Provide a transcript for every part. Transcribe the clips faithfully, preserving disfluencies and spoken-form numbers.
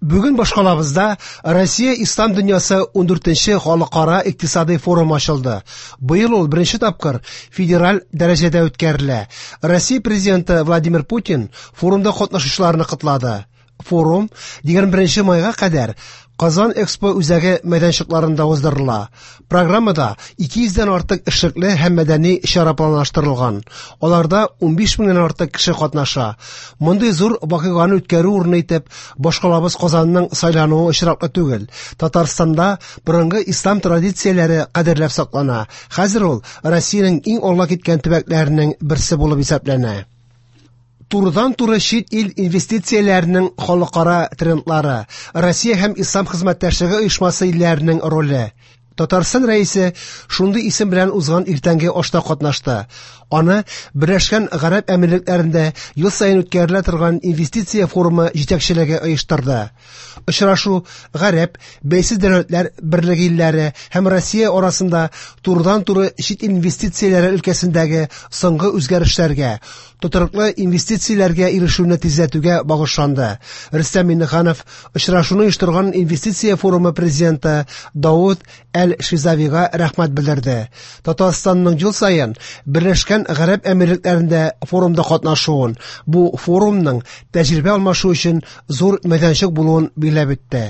Бүген башкалабызда Россия Ислам дөньясы ундүртенче халыкара икътисадый форум ачылды. Быел ул беренче тапкыр федераль дәрәҗәдә үткәрелә. Россия президенты Владимир Путин форумда катнашучыларны котлады. Форум егерме беренче майга кадәр Казан Экспо үзәге мәйданчыкларында уздырыла. Программада ике йөздән артык эшлекле һәм мәдәни чара планлаштырылган. Аларда унбиш меңнән артык кеше катнаша. Мондый зур вакыйганы үткәрү урыны итеп башкалабыз Казанның сайлануы очраклы түгел. Татарстанда борынгы ислам традицияләре кадерләп саклана. Хәзер ул Россиянең иң алга киткән төбәкләренең берсе булып исәпләнә. Турыдан-туры чит ил инвестицияләренең халыкара трендлары, Россия һәм Ислам хезмәттәшлеге оешмасы илләренең роле. Татарстан рәисе шундый исем белән узган иртәнге ашта катнашты. Аны Берләшкән Гарәп Әмирлекләрендә ел саен үткәрелә торган инвестиция форумы җитәкчелеге оештырды. Очрашу Гарәп, Бәйсез дәүләтләр берлеге илләре һәм Россия арасында турыдан-туры чит ил инвестицияләре өлкәсендәге соңгы үзгәрешләргә, тотрыклы инвестицияләргә ирешүне тизләтүгә багышланды. Рөстәм Миңнеханов очрашуны оештырган инвестиция форумы президенты Дауд Әл-Шизавига рәхмәт белдерде. Татарстанның ел саен Берләшкән Гарәп Әмирлекләрендә форумда катнашуын, бу форумның тәҗрибә алмашу өчен зур мәйданчык булуын билгеләп үтте.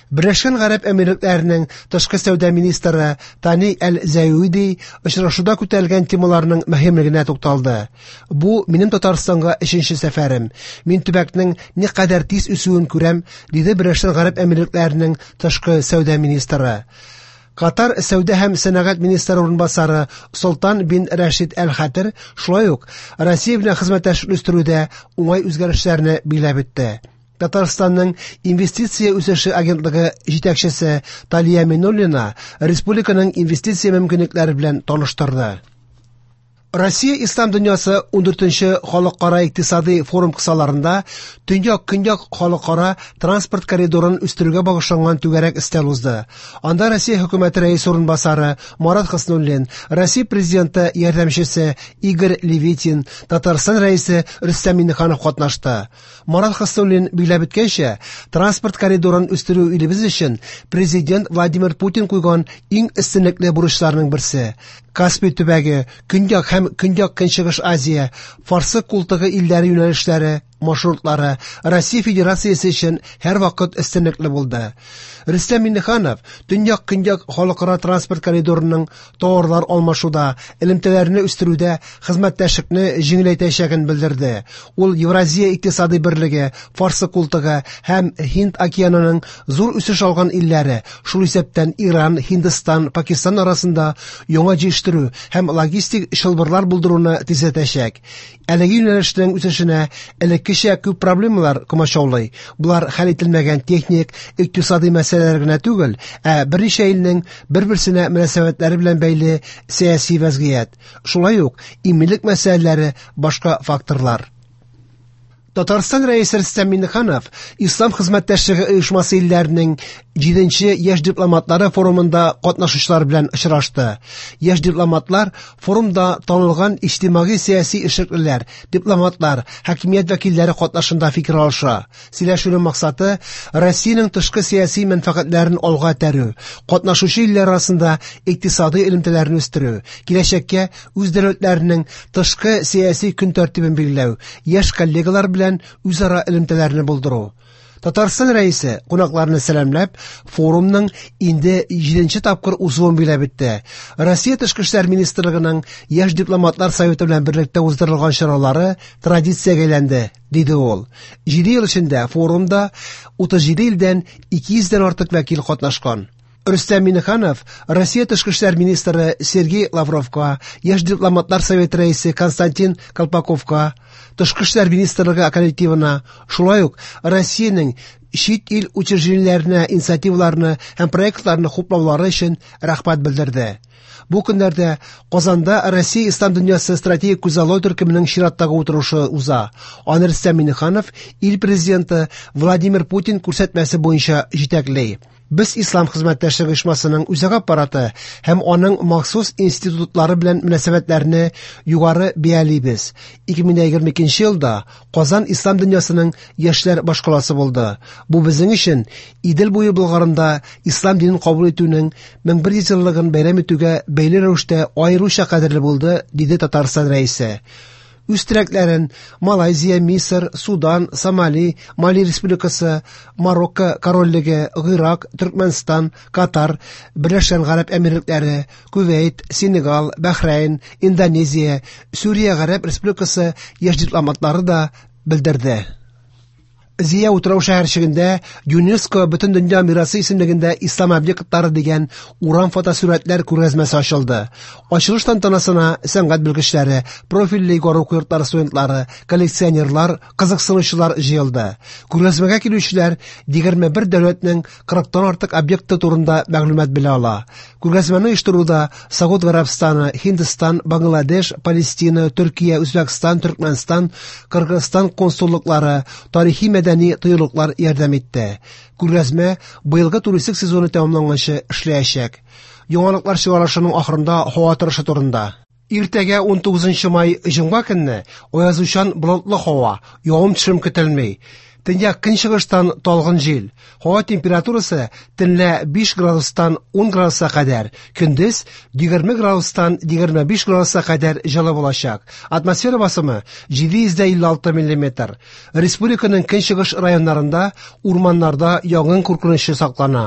Берләшкән Гарәп Әмирлекләренең тышкы сәүдә министры Тани Әл-Зәюди очрашуда күтәрелгән темаларның мөһимлегенә тукталды. Бу минем Татарстанга өченче сәфәрем. Мин төбәкнең никадәр тиз үсүен күрәм, диде Берләшкән Гарәп Әмирлекләренең тышкы сәүдә министры. Катар сәүдә һәм сәнәгать министры урынбасары Солтан бин Рәшид Әл-Хәтер шулай ук Россия белән хезмәттәшлек үстерүдә уңай үзгәрешләрне билгеләп үтте. Татарстанның инвестиция үсеше агентлыгы җитәкчесе Талия Минуллина республиканың инвестиция мөмкинлекләре белән таныштырды. Россия Ислам дөньясы ундүртенче халыкара икътисадый форум кысаларында Төньяк-Көньяк халыкара транспорт коридорын үстерүгә багышланган түгәрәк өстәл узды. Анда Россия хөкүмәте рәисе урынбасары Марат Хөснуллин, Россия президенты ярдәмчесе Игорь Левитин, Татарстан рәисе Рөстәм Миңнеханов катнашты. Марат Хөснуллин билгеләп үткәнчә, транспорт коридорын үстерү илебез өчен президент Владимир Путин куйган иң өстенлекле бурычларның берсе. Каспий төбәге, Көньяк һәм Көньяк-Көнчыгыш Азия, Фарсы култыгы илләре юнәлешләре, маршрутлары Россия Федерациясе өчен һәрвакыт өстенлекле булды. Рөстәм Миңнеханов Төньяк-Көньяк халыкара транспорт коридорының товарлар алмашуда, элемтәләрне үстерүдә хезмәттәшлекне җиңеләйтәчәген белдерде. Ул Евразия икътисадый берлеге, Фарсы култыгы һәм Һинд океанының зур үсеш алган илләре, шул исәптән Иран, Һиндстан, Пакистан арасында яңа җитештерү һәм логистик чылбырлар булдыруны тизләтәчәк. Әлеге юнәлешнең үсешенә элеккечә күп проблемалар комачаулый. Булар хәл ителмәгән техник, икътисадый мәсьәләләр генә түгел, ә берничә илнең бер-берсенә мөнәсәбәтләре белән бәйле сәяси вәзгыять. Шулай ук иминлек мәсьәләләре, башка факторлар. Татарстан рәисе Рөстәм Миңнеханов Ислам хезмәттәшлеге оешмасы илләренең җиденче яшь дипломатлары форумында катнашучылар белән очрашты. Яшь дипломатлар форумда танылган иҗтимагый сәяси эшлеклеләр, дипломатлар, хакимият вәкилләре катнашында фикер алыша. Сөйләшүнең максаты Россиянең тышкы сәяси мәнфәгатьләрен алга этәрү, катнашучы илләр арасында икътисадый элемтәләрне үстерү, киләчәккә үз дәүләтләренең тышкы сәяси көн тәртибен билгеләү, яшь коллегалар белән үзара элемтәләрне булдыру. Татарстан рәисе кунакларны сәламләп, форумның инде җиденче тапкыр узуын билгеләп үтте. Россия Тышкы эшләр министрлыгының яшь дипломатлар советы белән берлектә уздырылган чаралары традициягә әйләнде, диде ул. Җиде ел эчендә форумда утыз җиде илдән ике йөздән артык вәкил катнашкан. Рөстәм Миңнеханов Россия Тышкы эшләр министры Сергей Лавровка, яшь дипломатлар советы рәисе Константин Колпаковка, Тышкы эшләр министрлыгы коллективына, шулай ук Россиянең чит ил учреждениеләренә инициативаларны һәм проектларны хуплаулары өчен рәхмәт белдерде. Бу көннәрдә Казанда Россия Ислам дөньясы стратегик күзаллау төркеменең чираттагы утырышы уза. Аны Рөстәм Миңнеханов ил президенты Владимир Путин күрсәтмәсе буенча җитәкли. Без Ислам хезмәттәшлеге оешмасының үзәк аппараты һәм аның махсус институтлары белән мөнәсәбәтләрне югары бәялибез. ике мең егерме икенче елда Казан ислам дөньясының яшьләр башкаласы булды. Бу безнең өчен Идел буе Болгарында ислам динен кабул итүнең мең бер йөз еллыгын бәйрәм итүгә бәйле рәвештә аеруча кадерле булды, диде Татарстан Рәисе. Үз теләкләрен Малайзия, Мисыр, Судан, Сомали, Мали Республикасы, Марокко Корольлеге, Гыйрак, Төркмәнстан, Катар, Берләшкән Гарәп Әмирлекләре, Кувейт, Сенегал, Бәхрәйн, Индонезия, Сүрия Гарәп Республикасы яшь дипломатлары да белдерде. Зөя утрау шәһәрчегендә ЮНЕСКО Бөтендөнья мирасы исемлегендә ислам объектлары дигән урам фотосурәтләр күргәзмәсе ачылды. Ачылыш тантанасына сәнгать белгечләре, профильле югары уку йортлары студентлары, коллекционерлар, кызыксынучылар җыелды. Күргәзмәгә килүчеләр егерме бер дәүләтнең кырыктан артык объекты турында мәгълүмат белә ала. Күргәзмәне оештыруда Сауд Гарәбстаны, Һиндстан, Бангладеш, Палестина, Төркия, Үзбәкстан, Төркмәнстан, Кыргызстан консуллыклары, тарихи мәдәни тыюлыклар ярдәм итте. Күргәзмә быелгы туристик сезоны тәмамланганчы эшләячәк. Яңалыклар чыгарылышының ахырында һава торышы турында. Иртәгә ун тугызынчы май җомга көнне аязучан болытлы һава, явым-төшем көтелми. Төньяк көнчыгыштан талгын җил. Һава температурасы төнлә биш градустан ун градуска кадәр, көндез егерме градустан егерме биш градуска кадәр җылы булачак. Атмосфера басымы җиде йөз дә илле алты миллиметр. Республиканың көнчыгыш районнарында урманнарда янгын куркынычы саклана.